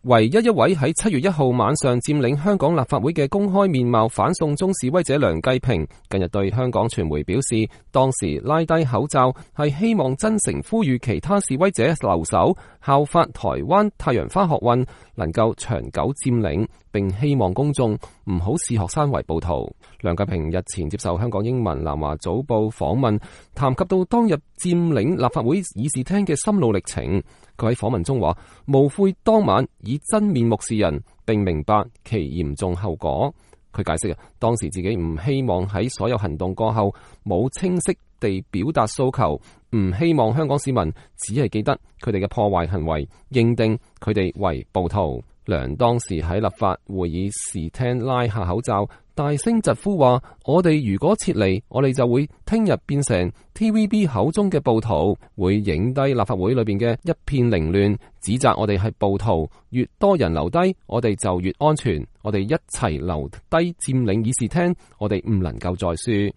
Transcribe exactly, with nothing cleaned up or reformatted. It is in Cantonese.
唯一一位喺七月一號晚上佔領香港立法會嘅公開面貌反送中示威者梁繼平，近日對香港傳媒表示，當時拉低口罩係希望真誠呼籲其他示威者留守，效法台灣太陽花學運能夠長久佔領，並希望公眾唔好視學生為暴徒。梁繼平日前接受香港英文南華早報訪問，談及到當日佔領立法會議事廳嘅心路歷程。佢喺訪問中話：無悔當晚以真面目示人，並明白其嚴重後果。佢解釋啊，當時自己唔希望喺所有行動過後冇清晰地表達訴求，唔希望香港市民只係記得佢哋嘅破壞行為，認定佢哋為暴徒。梁當時喺立法會議事廳拉下口罩，大聲疾呼話：我哋如果撤離，我哋就會聽日變成 T V B 口中嘅暴徒，會影低立法會裏邊嘅一片凌亂，指責我哋係暴徒。越多人留低，我哋就越安全。我哋一齊留低佔領議事廳，我哋唔能夠再輸。